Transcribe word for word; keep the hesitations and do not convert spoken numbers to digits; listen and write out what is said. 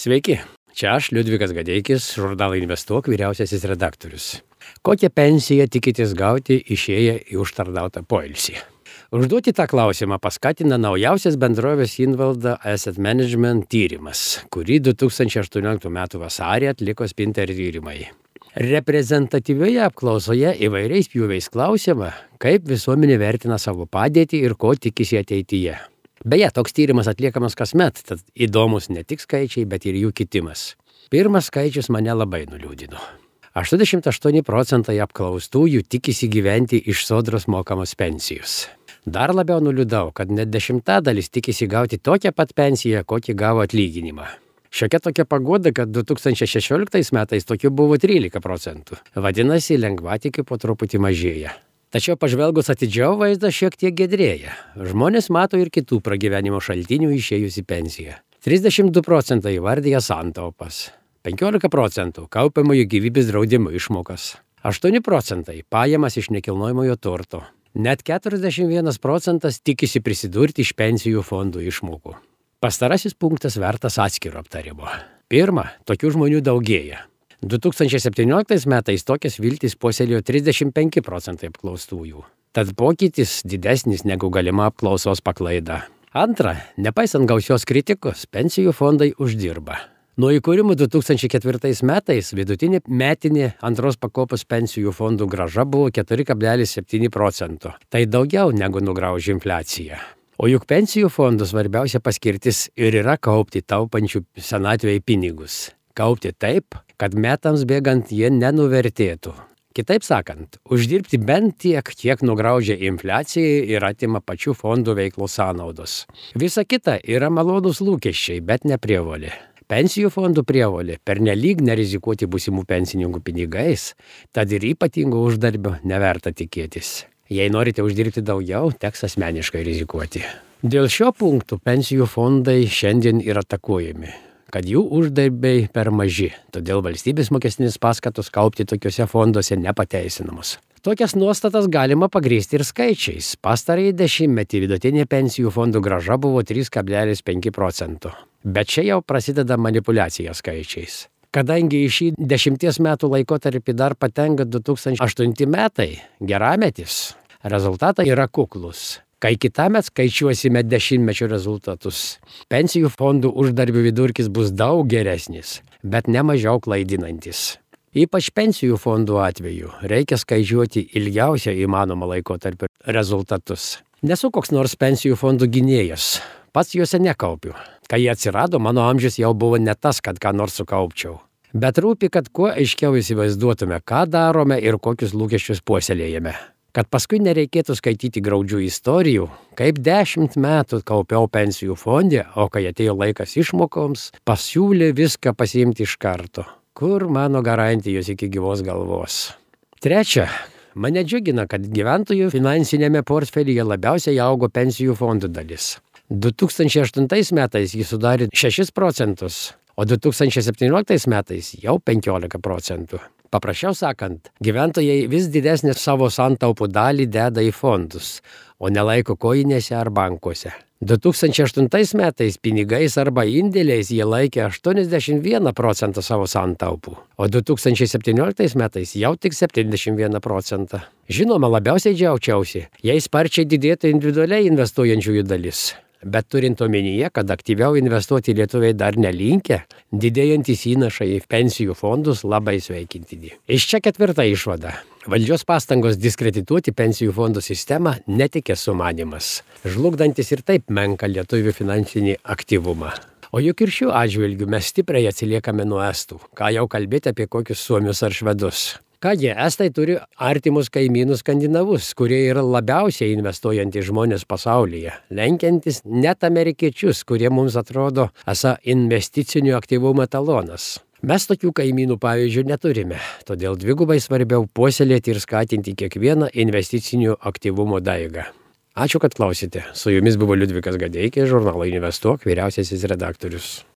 Sveiki, čia aš, Liudvikas Gadeikis, žurnalo Investuok vyriausiasis redaktorius. Kokią pensiją tikitės gauti išėję į užtarnautą poilsį? Užduoti tą klausimą paskatina naujausias bendrovės Invalda Asset Management tyrimas, kurį du tūkstančiai aštuonioliktų metų vasarį atliko Spinter tyrimai. Reprezentatyvioje apklausoje įvairiais pjūviais klausiama, kaip visuomenė vertina savo padėtį ir ko tikisi ateityje. Beje, toks tyrimas atliekamas kasmet, tad įdomus ne tik skaičiai, bet ir jų kitimas. Pirmas skaičius mane labai nuliūdino. aštuoniasdešimt aštuoni procentai apklaustųjų tikisi gyventi iš sodros mokamos pensijos. Dar labiau nuliūdau, kad net dešimtadalis tikisi gauti tokią pat pensiją, kokį gavo atlyginimą. Šiokia tokia paguoda, kad du tūkstančiai šešioliktais metais tokių buvo trylika procentų. Vadinasi, lengvatikių po truputį mažėja. Tačiau pažvelgus atidžiau vaizdas šiek tiek giedrėja. Žmonės mato ir kitų pragyvenimo šaltinių išėjus į pensiją. trisdešimt du procentai įvardyja santaupas, penkiolika procentų kaupiamųjų gyvybės draudimo išmokas, aštuoni procentai pajamas iš nekilnojamojo turto. Net keturiasdešimt vienas procentas tikisi prisidurti iš pensijų fondų išmokų. Pastarasis punktas vertas atskiro aptarimo. Pirma, tokių žmonių daugėja. du tūkstančiai septynioliktais metais tokias viltis puoselėjo trisdešimt penki procentai apklaustųjų. Tad pokytis didesnis negu galima apklausos paklaida. Antra, nepaisant gausios kritikos, pensijų fondai uždirba. Nuo įkūrimo du tūkstančiai ketvirtais metais vidutinė metinė antros pakopos pensijų fondų grąža buvo keturi kablelis septyni procento. Tai daugiau negu nugraužė infliacija. O juk pensijų fondų svarbiausia paskirtis ir yra kaupti taupančių senatvėje pinigus. Kaupti taip, kad metams bėgant jie nenuvertėtų. Kitaip sakant, uždirbti bent tiek, kiek nugraužia infliacija ir atima pačių fondų veiklos sąnaudos. Visa kita yra malonūs lūkesčiai, bet ne prievolė. Pensijų fondų prievolė pernelyg nerizikuoti būsimų pensininkų pinigais, tad ir ypatingo uždarbio neverta tikėtis. Jei norite uždirbti daugiau, teks asmeniškai rizikuoti. Dėl šio punktų pensijų fondai šiandien yra atakuojami, kad jų uždarbiai per maži, todėl valstybės mokestinės paskatos kaupti tokiuose fonduose nepateisinamos. Tokias nuostatas galima pagrįsti ir skaičiais. Pastarąjį dešimtmetį vidutinė pensijų fondų grąža buvo trys kablelis penki procento. Bet čia jau prasideda manipuliacija skaičiais. Kadangi į šį dešimties metų laikotarpį dar patenka du tūkstančiai aštunti metai, gerametis, rezultatai yra kuklus. Kai kitąmet skaičiuosime dešimtmečio rezultatus, pensijų fondų uždarbių vidurkis bus daug geresnis, bet ne mažiau klaidinantis. Ypač pensijų fondų atveju reikia skaičiuoti ilgiausią įmanomą laikotarpio rezultatus. Nesu koks nors pensijų fondų gynėjas, pats juose nekaupiu. Kai jie atsirado, mano amžius jau buvo ne tas, kad ką nors sukaupčiau. Bet rūpi, kad kuo aiškiau įsivaizduotume, ką darome ir kokius lūkesčius puoselėjame. Kad paskui nereikėtų skaityti graudžių istorijų, kaip dešimt metų kaupiau pensijų fonde, o kai atėjo laikas išmokoms, pasiūlė viską pasiimti iš karto. Kur mano garantijos iki gyvos galvos? Trečia, mane džiugina, kad gyventojų finansinėme portfelyje labiausiai augo pensijų fondų dalis. du tūkstančiai aštuntais metais jis sudarė šešis procentus, o du tūkstančiai septynioliktais metais jau penkiolika procentų. Paprasčiau sakant, gyventojai vis didesnį savo santaupų dalį deda į fondus, o nelaiko kojinėse ar bankuose. du tūkstančiai aštuntais metais pinigais arba indėliais jie laikė aštuoniasdešimt vieną procentą savo santaupų, o du tūkstančiai septynioliktais metais jau tik septyniasdešimt vieną procentą. Žinoma, labiausiai džiaugčiausi, jei sparčiai didėtų individualiai investuojančiųjų dalis. Bet turint omenyje, kad aktyviau investuoti lietuviai dar nelinkę, didėjantys įnašai į pensijų fondus labai sveikintini. Iš čia ketvirta išvada. Valdžios pastangos diskredituoti pensijų fondų sistemą netikės sumanymas, žlugdantis ir taip menką lietuvių finansinį aktyvumą. O juk ir šiuo atžvilgiu mes stipriai atsiliekame nuo estų, ką jau kalbėti apie kokius suomius ar švedus. Kągi, estai turi artimus kaimynus skandinavus, kurie yra labiausiai investuojantys žmonės pasaulyje, lenkiantis net amerikiečius, kurie mums atrodo esą investicinių aktyvumo etalonas. Mes tokių kaimynų pavyzdžių neturime, todėl dvigubai svarbiau puoselėti ir skatinti kiekvieną investicinių aktyvumo daigą. Ačiū, kad klausėte. Su jumis buvo Liudvikas Gadeikis, žurnalo Investuok vyriausiasis redaktorius.